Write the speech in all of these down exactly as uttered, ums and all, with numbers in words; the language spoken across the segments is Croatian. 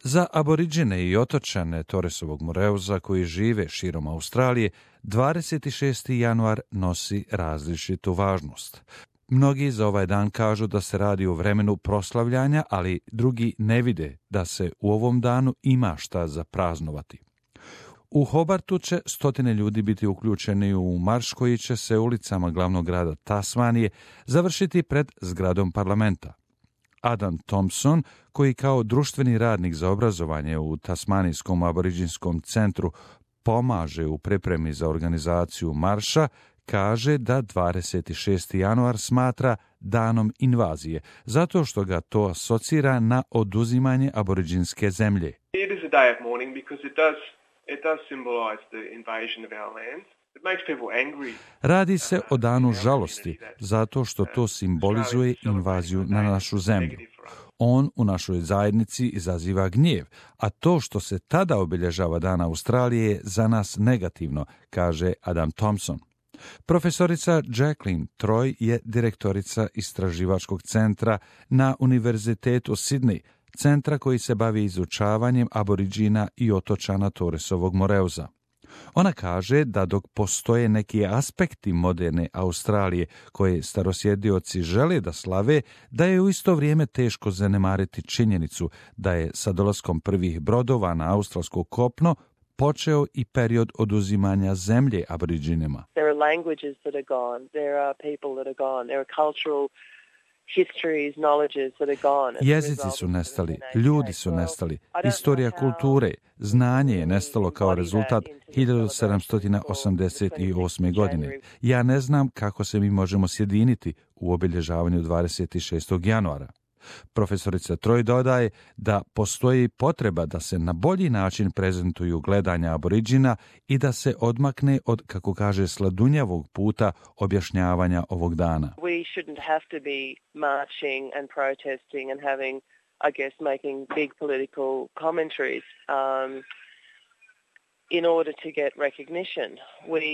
Za aboriđine i otočane Torresovog Moreuza koji žive širom Australije, dvadeset šesti januar nosi različitu važnost. Mnogi za ovaj dan kažu da se radi o vremenu proslavljanja, ali drugi ne vide da se u ovom danu ima šta za praznovati. U Hobartu će stotine ljudi biti uključeni u marš koji će se ulicama glavnog grada Tasmanije završiti pred zgradom parlamenta. Adam Thompson, koji kao društveni radnik za obrazovanje u Tasmanijskom aboriđinskom centru pomaže u pripremi za organizaciju marša, kaže da dvadeset šesti januar smatra danom invazije, zato što ga to asocira na oduzimanje aboriđinske zemlje. It is a day of mourning because it does, it does symbolize the invasion of our lands. It makes people angry. Radi se o danu žalosti, zato što to simbolizuje invaziju na našu zemlju. On u našoj zajednici izaziva gnjev, a to što se tada obilježava Dan Australije je za nas negativno, kaže Adam Thompson. Profesorica Jacqueline Troy je direktorica istraživačkog centra na Univerzitetu Sydney, centra koji se bavi izučavanjem aboriđina i otočana Torresovog Moreuza. Ona kaže da dok postoje neki aspekti moderne Australije koje starosjedioci žele da slave, da je u isto vrijeme teško zanemariti činjenicu da je sa dolaskom prvih brodova na australsko kopno počeo i period oduzimanja zemlje aboriđinima. There are languages that are gone, there are people that are gone, there are cultural histories, knowledges that are gone. Jezici su nestali, ljudi su nestali, istorija kulture, znanje je nestalo kao rezultat hiljadu sedamsto osamdeset osme. godine. Ja ne znam kako se mi možemo sjediniti u obilježavanju dvadeset šestog januara. Profesorica Troy dodaje da postoji potreba da se na bolji način prezentuju gledanja aboriđina i da se odmakne od, kako kaže, sladunjavog puta objašnjavanja ovog dana. We shouldn't have to be marching and protesting and having, I guess, making big political commentaries um, in order to get recognition. We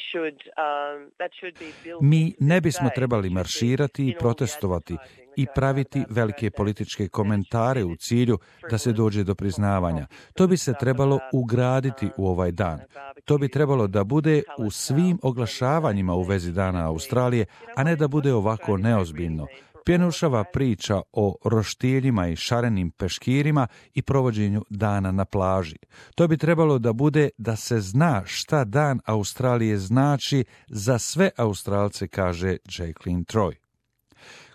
should, um, that should be built. Mi ne bismo trebali marširati i protestovati i praviti velike političke komentare u cilju da se dođe do priznavanja. To bi se trebalo ugraditi u ovaj dan. To bi trebalo da bude u svim oglašavanjima u vezi Dana Australije, a ne da bude ovako neozbiljno. Pjenušava priča o roštiljima i šarenim peškirima i provođenju dana na plaži. To bi trebalo da bude da se zna šta Dan Australije znači za sve Australce, kaže Jacqueline Troy.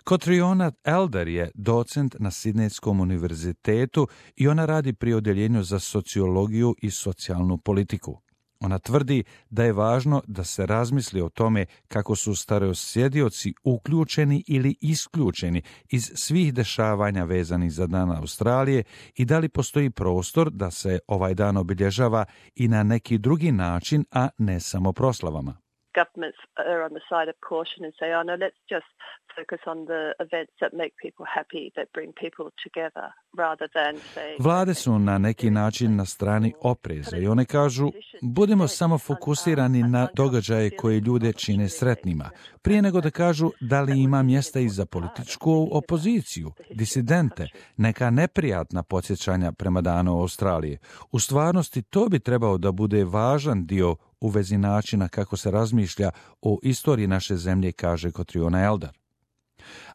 Catriona Elder je docent na Sidnejskom univerzitetu i ona radi pri odjeljenju za sociologiju i socijalnu politiku. Ona tvrdi da je važno da se razmisli o tome kako su starosjedioci uključeni ili isključeni iz svih dešavanja vezanih za Dan Australije i da li postoji prostor da se ovaj dan obilježava i na neki drugi način, a ne samo proslavama. Governments are on the side of caution and say, oh no, let's just focus on the events that make people happy, that bring people together, rather than say... Vlade su na neki način na strani opreza i one kažu, budemo samo fokusirani na događaje koje ljude čine sretnima, prije nego da kažu da li ima mjesta i za političku opoziciju, disidente, neka neprijatna podsjećanja prema Danu Australije. U stvarnosti to bi trebao da bude važan dio u vezi načina kako se razmišlja o istoriji naše zemlje, kaže Catriona Elder.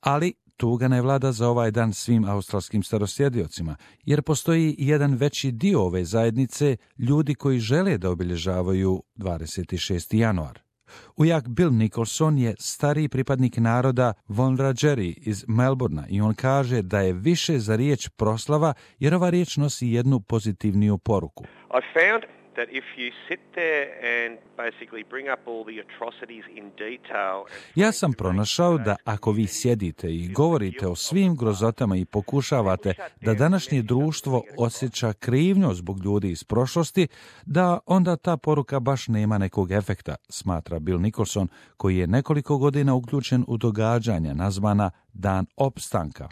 Ali tuga ne vlada za ovaj dan svim australskim starosjediocima, jer postoji jedan veći dio ove zajednice ljudi koji žele da obilježavaju dvadeset šesti januar. Ujak Bill Nicholson je stariji pripadnik naroda Wurundjeri iz Melbournea i on kaže da je više za riječ proslava jer ova riječ nosi jednu pozitivniju poruku. I found that if you sit there and basically bring up all the atrocities in detail. Ja sam pronašao da ako vi sjedite i govorite o svim grozotama i pokušavate da današnje društvo osjeća krivnju zbog ljudi iz prošlosti, da onda ta poruka baš nema nekog efekta, smatra Bill Nicholson, koji je nekoliko godina uključen u događanja nazvana Dan opstanka.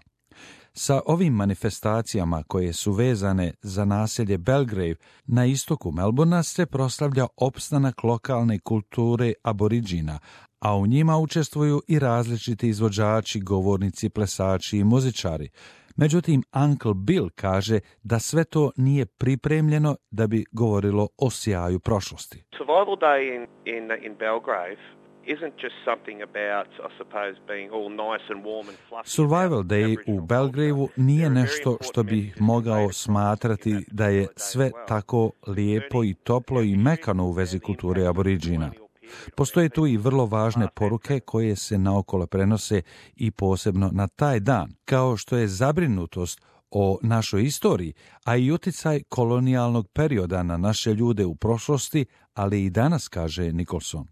Sa ovim manifestacijama koje su vezane za naselje Belgrave na istoku Melbournea se proslavlja opstanak lokalne kulture aboriđina, a u njima učestvuju i različiti izvođači, govornici, plesači i muzičari. Međutim, Uncle Bill kaže da sve to nije pripremljeno da bi govorilo o sjaju prošlosti. Survival Day in, in, in Belgrave isn't just something about, I suppose, being all nice and warm and fluffy. Survival Day u Belgraveu nije nešto što bi mogao smatrati da je sve tako lijepo i toplo i mekano u vezi kulture aboriđina. Postoje tu i vrlo važne poruke koje se naokolo prenose i posebno na taj dan, kao što je zabrinutost o našoj istoriji, a i utjecaj kolonijalnog perioda na naše ljude u prošlosti, ali i danas, kaže Nicholson.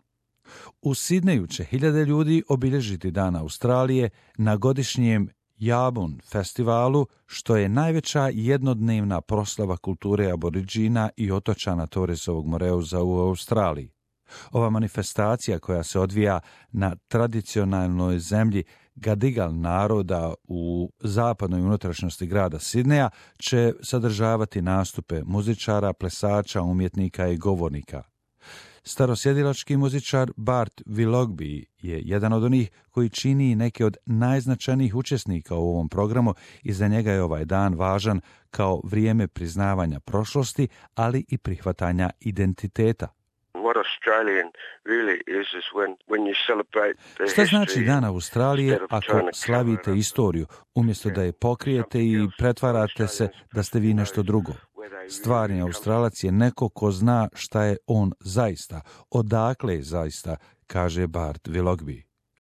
U Sidneju će hiljade ljudi obilježiti Dan Australije na godišnjem Yabun festivalu, što je najveća jednodnevna proslava kulture aboriđina i otočana Torresovog Moreuza u Australiji. Ova manifestacija koja se odvija na tradicionalnoj zemlji Gadigal naroda u zapadnoj unutrašnjosti grada Sidneja će sadržavati nastupe muzičara, plesača, umjetnika i govornika. Starosjedilački muzičar Bart Willoughby je jedan od onih koji čini neke od najznačajnijih učesnika u ovom programu i za njega je ovaj dan važan kao vrijeme priznavanja prošlosti, ali i prihvatanja identiteta. Šta znači Dan Australije ako slavite istoriju, umjesto da je pokrijete i pretvarate se da ste vi nešto drugo? Stvarni Australac je neko ko zna šta je on zaista, odakle je zaista, kaže Bart Willoughby.